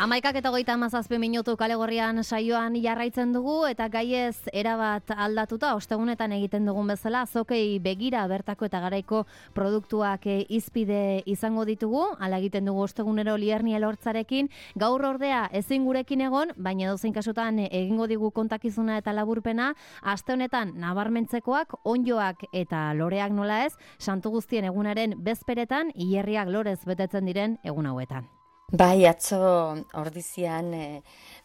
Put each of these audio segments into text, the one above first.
11:37 Kale Gorrian saioan jarraitzen dugu eta gaiez erabat aldatuta ostegunetan egiten dugun bezala azokei begira bertako eta garaiko produktuak hizpide izango ditugu. Hala egiten dugu ostegunero Lierniel Hortzarekin. Gaur ordea ezin gurekin egon, baina edozein kasutan egingo digu kontakizuna eta laburpena. Aste honetan nabarmentzekoak, onjoak eta loreak nola ez, Santu Guztien egunaren bezperetan hilerriak lorez betetzen diren egun hauetan. Bai, atzo ordizian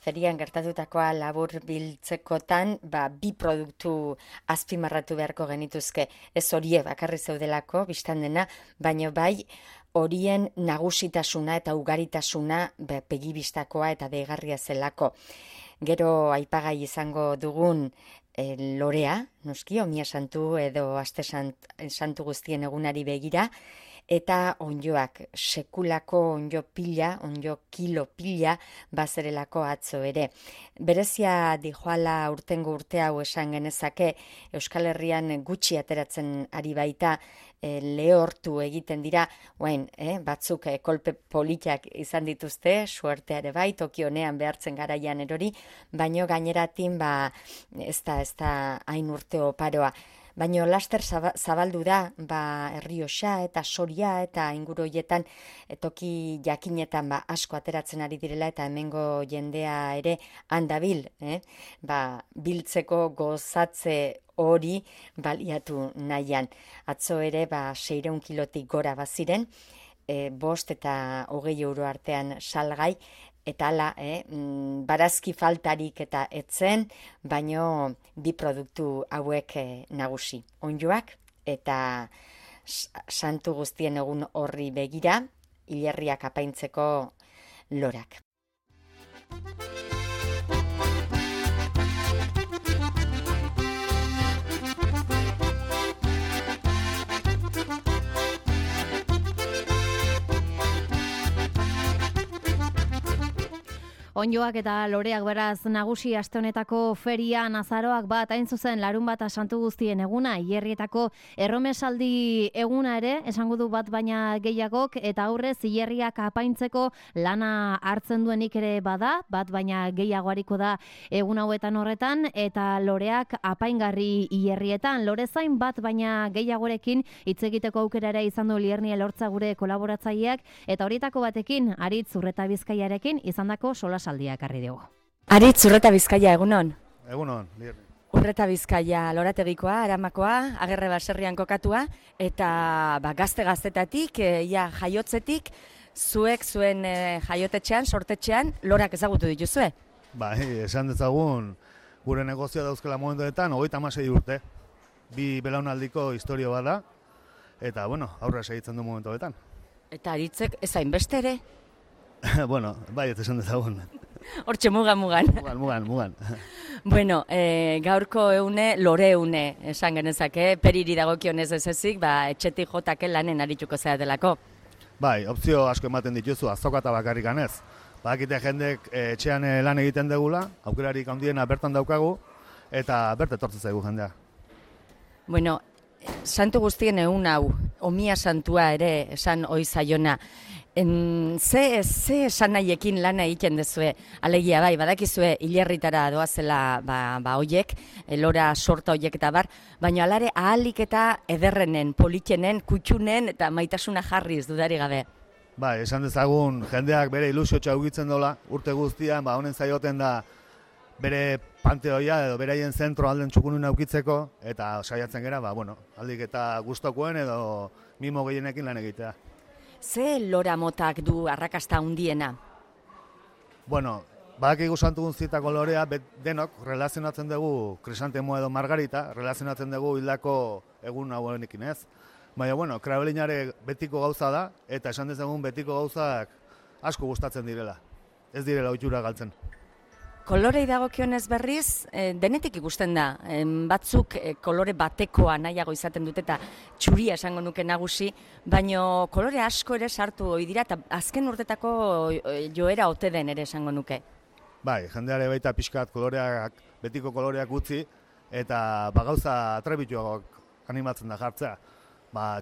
ferian gertatutakoa labur biltzekotan, bi produktu azpimarratu beharko genituzke. Ez horie bakarri zeudelako, biztan dena, baina bai horien nagusitasuna eta ugaritasuna begibistakoa eta deigarria zelako. Gero aipagai izango dugun lorea, noski, Omia Santu edo Aste Santu Guztien egunari begira, eta onjoak, sekulako onjo pila, onjo kilo pila, bazerelako atzo ere. Berezia dijoala urtengo urte hau esan genezake, Euskal Herrian gutxi ateratzen ari baita, lehortu egiten dira, batzuk kolpe politak izan dituzte, suerteare bai, toki honean behartzen garaian erori, baino gaineratin ez da hain urte oparoa. Baina laster zabaldu da, Errioxa eta Soria eta inguru hoietan toki jakinetan asko ateratzen ari direla eta hemengo jendea ere handabil, biltzeko gozatze hori baliatu nahian. Atzo ere 600 kilotik gora baziren, 5 eta 20 euro artean salgai, eta hala, barazki faltarik eta etzen, baino bi produktu hauek nagusi. Onjoak eta Santu Guztien egun horri begira, hilerriak apaintzeko lorak. Onjoak eta loreak beraz nagusi aste honetako ferian azaroak hain zuzen Larunbata Santu Guztien eguna, hilerrietako erromesaldi eguna ere, esango du bat baina gehiagok, eta aurrez hilerriak apaintzeko lana hartzen duenik ere bada, bat baina gehiago hariko da egun hauetan horretan, eta loreak apaingarri hilerrietan. Lorezain bat baina gehiagorekin hitz egiteko aukera ere izan du Lierniel Hortza gure kolaboratzaileak, eta horietako batekin Aritz Urreta Bizkaiarekin izandako solasaldiak harri dugu. Aritz Urreta Bizkaia, egunon? Egunon, Lierni. Urreta Bizkaia lorategikoa, Aramakoa, Agerre baserrian kokatua, eta gazte-gaztetatik, jaiotzetik, zuek zuen jaiotetxean, sortetxean, lorak ezagutu dituzue? Esan dezagun, gure negozioa dauzkela momentuetan, 36 urte. 2 belaunaldiko historio bada, eta, aurra segitzen du momentuetan. Eta Aritzek ezain beste ere? Ez esan dezagun. Hortxe mugan. Mugan. Gaurko eune, lore eune, esan genezake, periri dagokionez ez ezik, etxetik jotake lanen arituko zera delako. Opzio asko ematen dituzu, azoka eta bakarrik ganez. Bakite jendek etxean lan egiten degula, aukerarik handiena bertan daukagu, eta berte etortzen zaigu jendea. Santu Guztien egun hau, Omia Santua ere esan ohi zaiona, ze esan nahiekin lana egiten dezue, alegia badakizue hilerritara doazela hoiek, lora sorta hoiek eta baina alare ahalik eta ederrenen, politenen, kutxunen eta maitasuna jarriz dudari gabe. Esan dezagun jendeak bere ilusiotxa ugitzen dola, urte guztian, honen zaioten da bere panteoia edo beraien zentro alden txukunun aukitzeko, eta saiatzen gera, aldik eta gustokoen edo mimo gehienekin lan egitea. Ze lora motak du arrakasta handiena? Badakigu Santu Guztietako lorea, denok relazionatzen dugu Krisantemo edo Margarita, relazionatzen dugu hildako egun hauenekin ez. Baina, krabelinare betiko gauza da, eta esan dezagun betiko gauzak asko gustatzen direla. Ez direla ohitura galtzen. Kolorei dagokionez berriz, denetik ikusten da. Batzuk kolore batekoa nahiago izaten dute eta txuria esango nuke nagusi, baina kolore asko ere sartu ohi dira eta azken urtetako joera ote den ere esango nuke. Jendeare baita pixkat betiko koloreak utzi, eta gauza atrebituagoak animatzen da jartzea.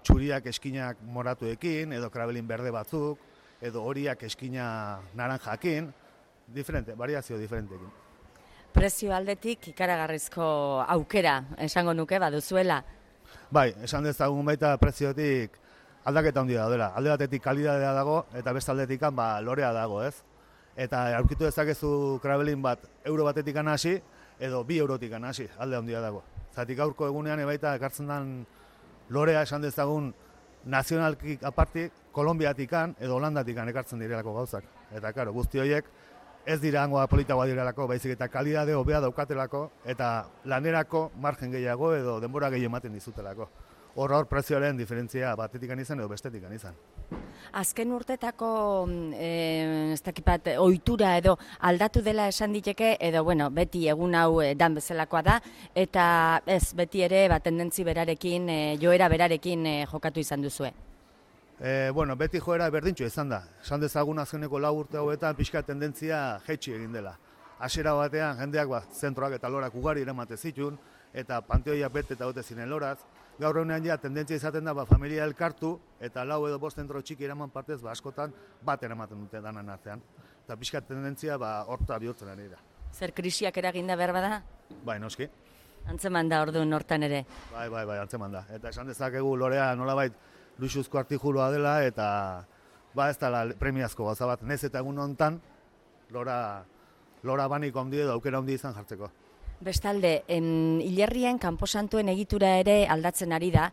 Txuriak eskinak moratuekin, edo krabelin berde batzuk, edo horiak eskina naranjakin, variazio diferentekin. Prezio aldetik ikaragarrizko aukera esango nuke baduzuela. Bai, esan dezagun baita preziotik aldaketa handia daudela. Alde batetik kalidadea dago eta beste aldetik lorea dago, ez? Eta aurkitu dezakezu Kravelin bat euro batetik hasi edo 2 eurotik hasi, alde handia dago. Zatik gaurko egunean baita ekartzen den lorea esan dezagun nazionalkik apartik, Kolonbiatik edo Holandatik ekartzen direlako gauzak. Eta karo, guzti horiek ez dira hangoa politagoa direlako, baizik eta kalidade hobea daukatelako eta lanerako margen gehiago edo denbora gehiago ematen dizutelako. Hor prezioaren diferentzia batetik izan edo bestetik izan. Azken urtetako ez dakipat ohitura edo aldatu dela esan diteke edo beti egun hau dan bezalakoa da eta ez beti ere tendentzi berarekin, joera berarekin jokatu izan duzue. Beti joera berdintxo izan da. Esan dezagun azkeneko 4 urte hauetan pixka tendentzia jaitsi egin dela. Hasiera batean jendeak zentroak eta lorak ugari eramate zituen eta panteoiak bete eta ote ziren loraz. Gaur egunean tendentzia izaten da familia elkartu eta 4 edo 5 zentro txiki eraman partez askotan bat eramaten dute danan artean. Eta pixka tendentzia horta bihurtzen ari da. Zer krisiak eraginda behar bada? Bai, noski. Antzeman da orduan hortan ere? Bai, antzeman da. Eta esan dezakegu lorea nolabait luxuzko artikulua dela eta ez da premiazko gauza bat. Nez eta egun hontan lora baniko handi edo aukera handi izan jartzeko. Bestalde, hilerrien kanposantuen egitura ere aldatzen ari da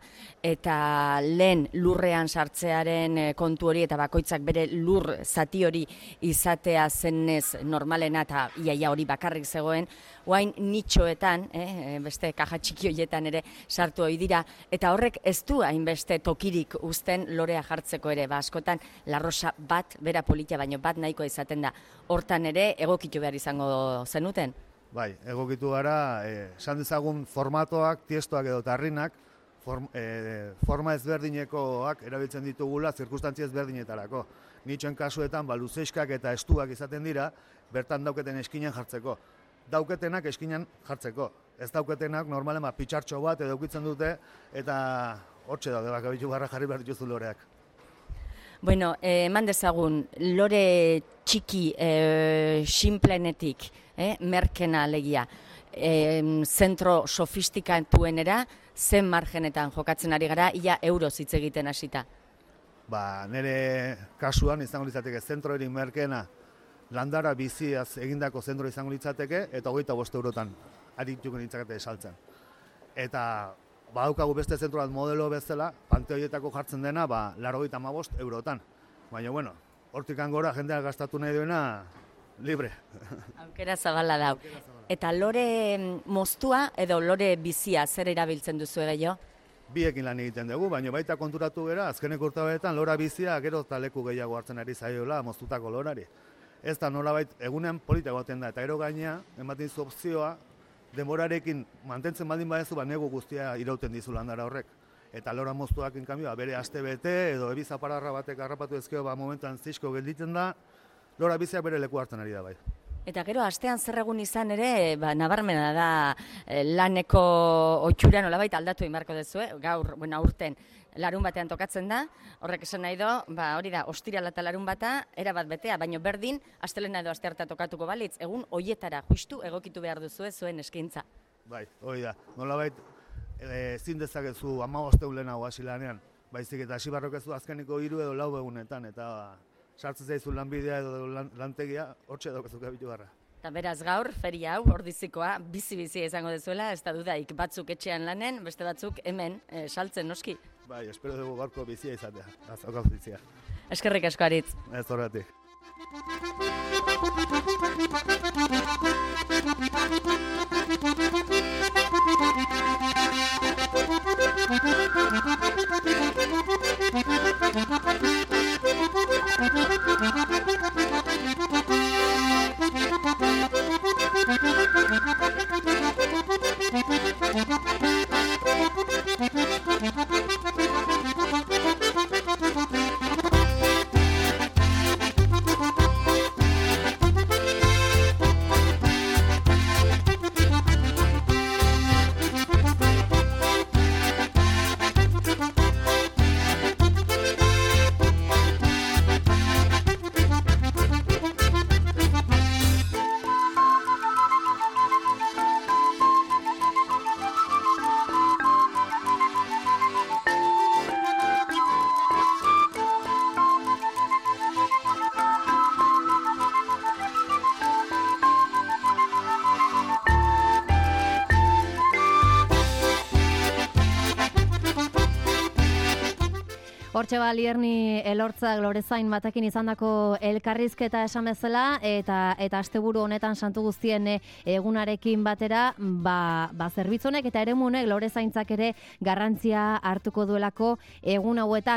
eta lehen lurrean sartzearen kontu hori eta bakoitzak bere lur zati hori izatea zenez normalena eta iaia hori bakarrik zegoen, oain nitxoetan, beste kaja txiki horietan ere sartu hori dira, eta horrek ez du hainbeste tokirik uzten lorea jartzeko ere, askotan larrosa bat, bera politia baino bat nahikoa izaten da, hortan ere egokitu behar izango zenuten? Bai, egokitu gara, esan dezagun formatoak, tiestoak edo tarrinak, forma ezberdinekoak erabiltzen ditugula zirkustantzia ezberdinetarako. Nitxoen kasuetan, luzeiskak eta estuak izaten dira, bertan dauketen eskinen jartzeko. Dauketenak eskinen jartzeko. Ez dauketenak normalen pitxartxo bat edo eukitzen dute eta hortxe daude bakabitu garra jarri behar dituzu loreak. Eman dezagun, lore txiki sinplenetik, merkena alegia, zentro sofistikatuenera, zen margenetan jokatzen ari gara, ia euroz hitz egiten hasita. Nire kasuan izango litzateke zentro erin merkena landara biziaz egindako zentro izango litzateke eta 25 eurotan arituko nintzakete esaltzen. Eta badaukagu beste zentro bat modelo bezala, panteoietako jartzen dena 95 eurotan. Baina, hortik gora jendeak gastatu nahi duena libre. Aukera zabala dau. Eta lore moztua edo lore bizia zer erabiltzen duzu gehiago? Biekin lan egiten dugu, baina baita konturatu gara, azkeneko urteetan lora bizia gero eta leku gehiago hartzen ari zaiola moztutako lorari. Ez da nolabait egunean polita goten da, eta ero gainea, ematen zu opzioa, denborarekin mantentzen baldin badezu, negu guztia irauten dizu landara horrek. Eta lora moztuak inkanbioa, bere aste bete edo ebiza pararra batek harrapatu ezkeo momentuan zizko gelditzen da, lora bizia bere leku hartzen ari da bai. Eta gero, astean zer egun izan ere, nabarmena da laneko otxura nolabait aldatu inbarko dezue, gaur, aurten larun batean tokatzen da, horrek esan nahi do, hori da, ostirala eta larun bata, erabat betea, baino berdin, astelena edo astearta tokatuko balitz, egun hoietara justu egokitu behar duzue zuen eskaintza. Bai, hori da, nolabait ezin dezakezu 15 lehenago hasi lanean, baizik eta hasi barrokezu azkeniko 3 edo 4 egunetan, eta sartzen zaizu lanbidea edo lantegia, hortxe daukazuka bitu garra. Eta beraz gaur, feria hau, ordizikoa, bizi-bizi izango dezuela, ez da dudaik batzuk etxean lanen, beste batzuk hemen saltzen noski. Bai, espero dugu gaurko bizia izatea, azokaz bizia. Eskerrik asko Aritz. Ez horretik. Hortxe Lierni Elortzak Lorezain batekin izandako elkarrizketa esan bezala eta asteburu honetan Santu Guztien egunarekin batera, zerbitzu honek eta eremunek Lorezaintzak ere garrantzia hartuko duelako egun hauetan.